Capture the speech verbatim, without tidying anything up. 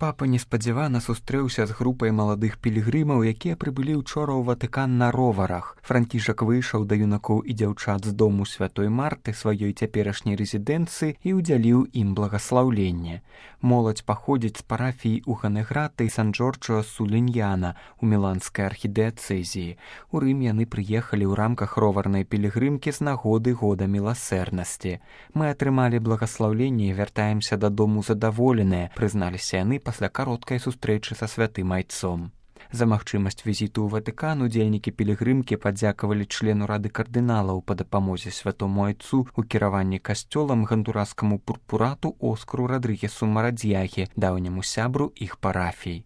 Папа неспадзявана сустрэўся з групай маладых пілігрымаў, якія прыбылі ўчора ў Ватыкан на роварах. Францішак выйшаў да юнакоў і дзяўчат з дому святой Марты, сваёй цяперашняй рэзідэнцыі, і ўдзяліў ім благаслаўленне. Моладзь паходзіць з парафіі ў Ганеграта і Сан-Джорджо Суліньяна у міланскай архідыяцэзіі. У Рым яны прыехалі ў рамках роварнай пілігрымкі з нагоды года міласэрнасці. Мы атрымалі благаслаўленне і вяртаемся дадому задаволеныя, прызналіся яны пасля кароткай сустрэчы са святым айцом. За магчымасць візіту ў Ватыкан удзельнікі пілігрымкі падзякавалі члену рады кардыналаў па дапамозе святому айцу ў кіраванні касцёлам гондураскаму пурпурату Оскару Радрыгесу Марадзьяхе, даўняму сябру іх парафій.